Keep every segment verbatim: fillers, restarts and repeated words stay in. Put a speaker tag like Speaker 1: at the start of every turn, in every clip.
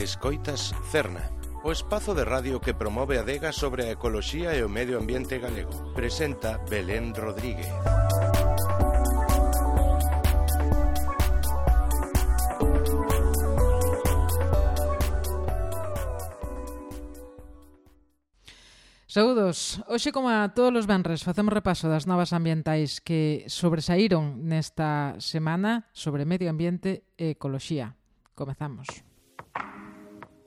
Speaker 1: Escoitas Cerna, o espazo de radio que promove a adega sobre a ecoloxía e o medio ambiente galego. Presenta Belén Rodríguez.
Speaker 2: Saúdos. Hoxe, como a todos os venres, facemos repaso das novas ambientais que sobresaíron nesta semana sobre medio ambiente e ecoloxía. Comezamos.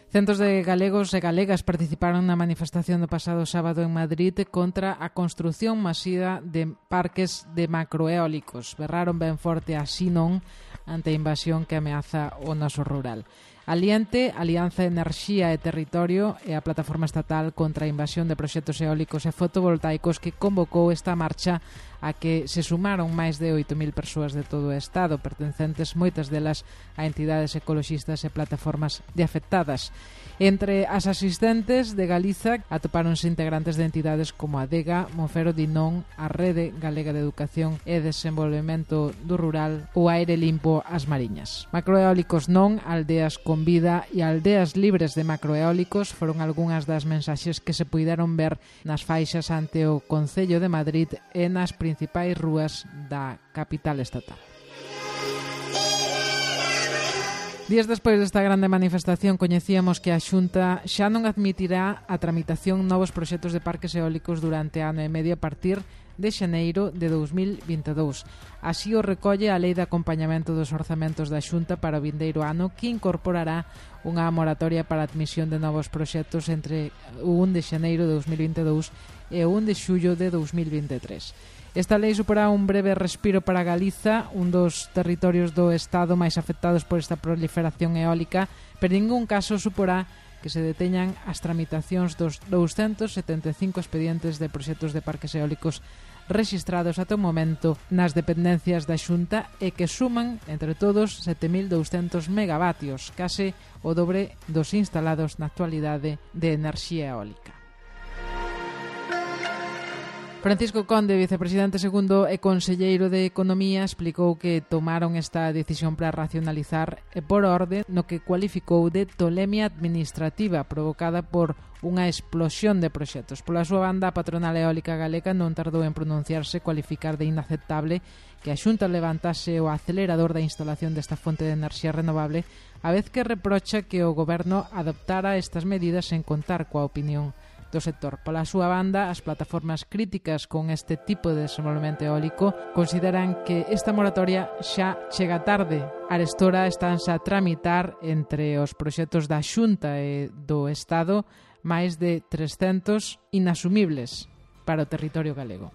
Speaker 2: Centos de galegos e galegas participaron na manifestación do pasado sábado en Madrid contra a construción masiva de parques de macroeólicos. Berraron ben forte así non ante a invasión que ameaza o noso rural. Aliente, Alianza Enerxía e Territorio e a Plataforma Estatal contra a Invasión de Proxectos Eólicos e Fotovoltaicos que convocou esta marcha a que se sumaron máis de oito mil persoas de todo o Estado, pertencentes moitas delas a entidades ecoloxistas e plataformas de afectadas. Entre as asistentes de Galiza atopáronse integrantes de entidades como a Adega, Monfero Dinón, a Rede Galega de Educación e Desenvolvemento do Rural ou Aire Limpo As Mariñas. Macroeólicos non, aldeas con vida e aldeas libres de macroeólicos foron algunhas das mensaxes que se puideron ver nas faixas ante o Concello de Madrid e nas principais rúas da capital estatal. Días despois desta grande manifestación coñecíamos que a Xunta xa non admitirá a tramitación novos proxectos de parques eólicos durante ano e medio a partir de xaneiro de dous mil vinte e dous. Así o recolle a Lei de Acompañamento dos Orzamentos da Xunta para o vindeiro ano, que incorporará unha moratoria para a admisión de novos proxectos entre o un de xaneiro de dous mil vinte e dous e o un de xullo de dous mil vinte e tres. Esta lei suporá un breve respiro para Galiza, un dos territorios do Estado máis afectados por esta proliferación eólica, pero en ningún caso suporá que se deteñan as tramitacións dos douscentos setenta e cinco expedientes de proxectos de parques eólicos rexistrados ata o momento nas dependencias da Xunta e que suman, entre todos, sete mil douscentos megavatios, case o dobre dos instalados na actualidade de enerxía eólica. Francisco Conde, vicepresidente segundo e conselleiro de Economía, explicou que tomaron esta decisión para racionalizar e por orde no que cualificou de tolemia administrativa provocada por unha explosión de proxectos. Pola súa banda, a patronal eólica galega non tardou en pronunciarse, cualificar de inaceptable que a Xunta levantase o acelerador da instalación desta fonte de enerxía renovable, a vez que reprocha que o goberno adoptara estas medidas sen contar coa opinión do sector. Pola súa banda, as plataformas críticas con este tipo de desenvolvemento eólico consideran que esta moratoria xa chega tarde. Arestora estánse a tramitar entre os proxectos da Xunta e do Estado máis de trescentos inasumibles para o territorio galego.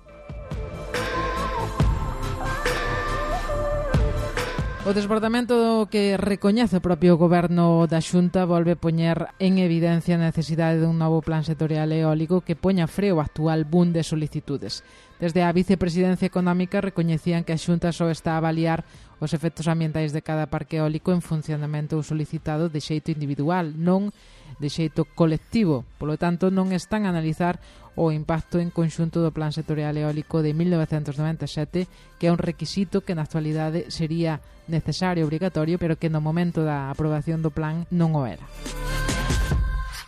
Speaker 2: O desbordamento que recoñece o propio goberno da Xunta volve poñer en evidencia a necesidade dun novo plan sectorial eólico que poña freo ao actual boom de solicitudes. Desde a vicepresidencia económica recoñecían que a Xunta só está a avaliar os efectos ambientais de cada parque eólico en funcionamento ou solicitado de xeito individual, non de xeito colectivo. Polo tanto, non están a analizar o impacto en conxunto do Plan Sectorial Eólico de mil novecentos noventa e sete, que é un requisito que na actualidade sería necesario e obrigatorio, pero que no momento da aprobación do plan non o era.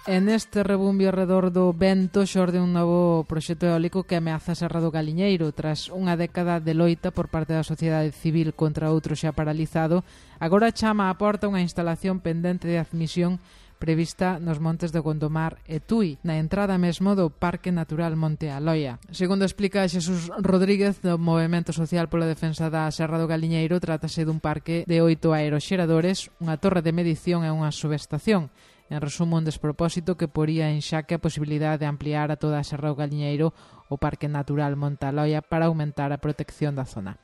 Speaker 2: En este rebumbio arredor do vento xorde un novo proxecto eólico que ameaza a Serra do Galiñeiro. Tras unha década de loita por parte da sociedade civil contra outro xa paralizado, agora chama á porta unha instalación pendente de admisión prevista nos montes de Gondomar e Tui, na entrada mesmo do Parque Natural Monte Aloia. Segundo explica Xesús Rodríguez, do Movemento Social pola Defensa da Serra do Galiñeiro, trátase dun parque de oito aeroxeradores, unha torre de medición e unha subestación. En resumo, un despropósito que poría en xaque a posibilidade de ampliar a toda a Serra do Galiñeiro o Parque Natural Monte Aloia para aumentar a protección da zona.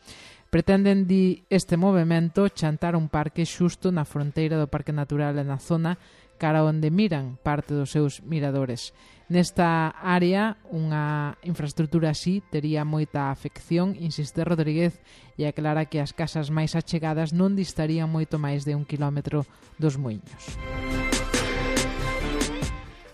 Speaker 2: Pretenden, di este movemento, chantar un parque xusto na fronteira do Parque Natural e na zona cara onde miran parte dos seus miradores. Nesta área, unha infraestructura así tería moita afección, insiste Rodríguez, e aclara que as casas máis achegadas non distarían moito máis de un quilómetro dos muiños.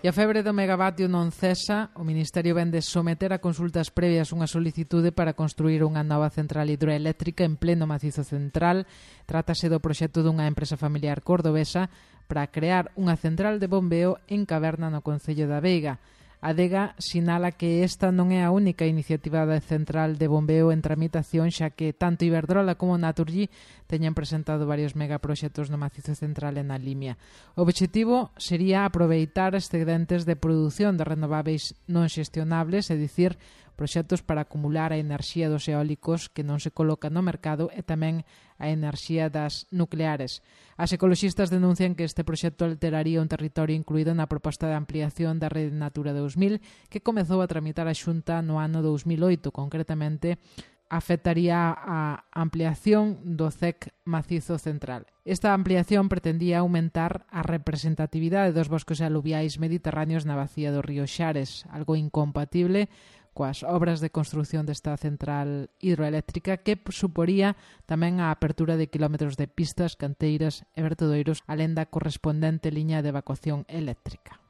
Speaker 2: E a febre do megavatio non cesa. O Ministerio vende someter a consultas previas unha solicitude para construir unha nova central hidroeléctrica en pleno macizo central. Trátase do proxecto dunha empresa familiar cordobesa para crear unha central de bombeo en Caverna no concello da Veiga. A Adega sinala que esta non é a única iniciativa de central de bombeo en tramitación, xa que tanto Iberdrola como Naturgy teñen presentado varios megaproxectos no macizo central e na Limia. O obxectivo sería aproveitar excedentes de produción de renováveis non xestionables, é dicir, proxectos para acumular a enerxía dos eólicos que non se coloca no mercado e tamén a enerxía das nucleares. As ecoloxistas denuncian que este proxecto alteraría un territorio incluído na proposta de ampliación da Rede Natura dous mil que comezou a tramitar a Xunta no ano dous mil oito. Concretamente, afectaría a ampliación do C E C macizo central. Esta ampliación pretendía aumentar a representatividade dos bosques aluviais mediterráneos na bacía do río Xares, algo incompatible coas obras de construción desta central hidroeléctrica que suporía tamén a apertura de kilómetros de pistas, canteiras e vertedoiros, alén da correspondente liña de evacuación eléctrica.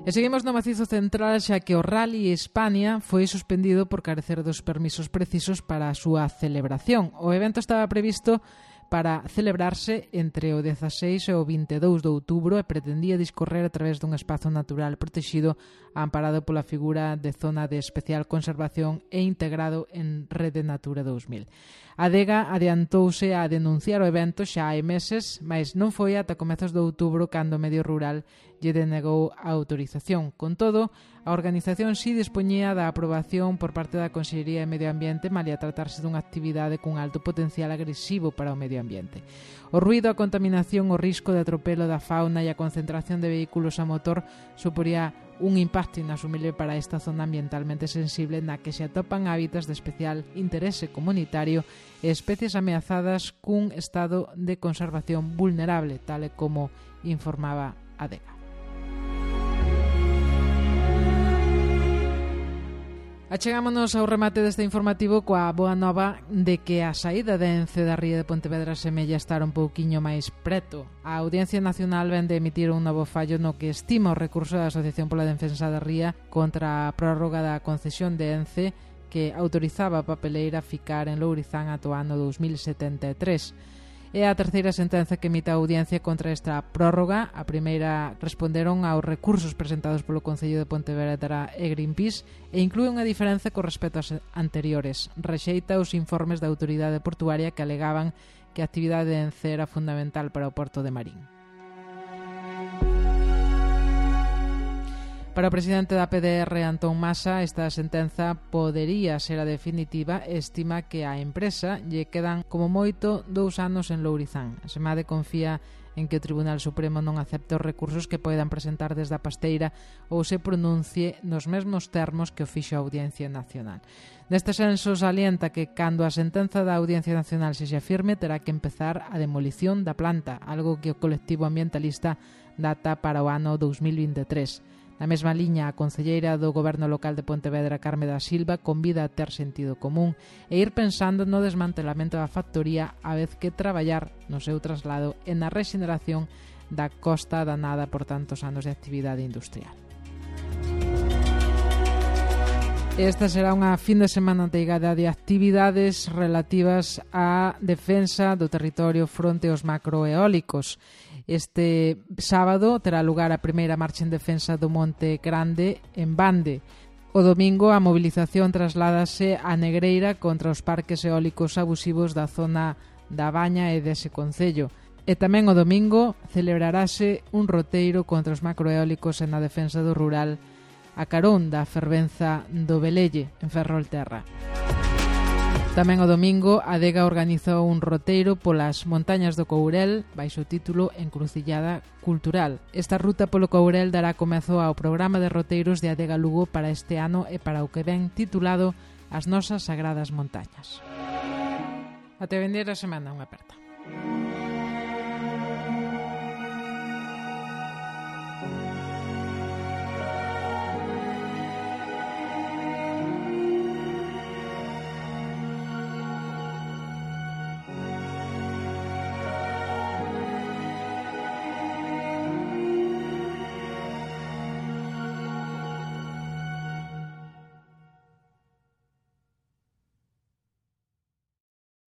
Speaker 2: E seguimos no macizo central, xa que o Rally Hispania foi suspendido por carecer dos permisos precisos para a súa celebración. O evento estaba previsto para celebrarse entre o dezaseis e o vinte e dous de outubro e pretendía discorrer a través dun espazo natural protexido amparado pola figura de zona de especial conservación e integrado en Rede Natura dous mil. A Adega adiantouse a denunciar o evento xa hai meses, mas non foi ata comezos de outubro cando o medio rural lle denegou a autorización. Con todo, a organización si dispoñía da aprobación por parte da Consellería de Medio Ambiente, malia tratarse dunha actividade cun alto potencial agresivo para o medio ambiente. O ruído, a contaminación, o risco de atropelo da fauna e a concentración de vehículos a motor suporía un impacto inasumible para esta zona ambientalmente sensible na que se atopan hábitats de especial interese comunitario e especies ameazadas cun estado de conservación vulnerable, tal e como informaba a Adega. Achegámonos ao remate deste informativo coa boa nova de que a saída de Ence da ría de Pontevedra semella estar un pouquiño máis preto. A Audiencia Nacional ven de emitir un novo fallo no que estima o recurso da Asociación pola Defensa da Ría contra a prórroga da concesión de Ence que autorizaba a papeleira ficar en Lourizán ata o ano dous mil setenta e tres. É a terceira sentenza que emite a audiencia contra esta prórroga. A primeira responderon aos recursos presentados polo Concello de Pontevedra e Greenpeace e inclúe unha diferenza con respecto aos anteriores. Rexeita os informes da autoridade portuaria que alegaban que a actividade de Ence era fundamental para o porto de Marín. Para o presidente da P D R, Antón Masa, esta sentenza podería ser a definitiva e estima que á empresa lle quedan como moito dous anos en Lourizán. A Semade confía en que o Tribunal Supremo non acepte os recursos que poidan presentar desde a Pasteira ou se pronuncie nos mesmos termos que o fixo a Audiencia Nacional. Neste senso, salienta que cando a sentenza da Audiencia Nacional sexa firme terá que empezar a demolición da planta, algo que o colectivo ambientalista data para o ano dous mil vinte e tres. Na mesma liña, a concelleira do Goberno Local de Pontevedra, Carme da Silva, convida a ter sentido común e ir pensando no desmantelamento da factoría a vez que traballar no seu traslado e na rexeneración da costa danada por tantos anos de actividade industrial. Esta será unha fin de semana teigada de actividades relativas á defensa do territorio fronte aos macroeólicos. Este sábado terá lugar a primeira marcha en defensa do Monte Grande en Bande. O domingo a movilización trasládase a Negreira contra os parques eólicos abusivos da zona da Baña e dese concello. E tamén o domingo celebrarase un roteiro contra os macroeólicos e na defensa do rural a carón da fervenza do Velelle en Ferrolterra. Tamén o domingo a Adega organizou un roteiro polas montañas do Courel baixo o título Encrucillada Cultural. Esta ruta polo Courel dará comezo ao programa de roteiros de Adega Lugo para este ano e para o que ven titulado As nosas sagradas montañas. Até vender a semana, unha aperta.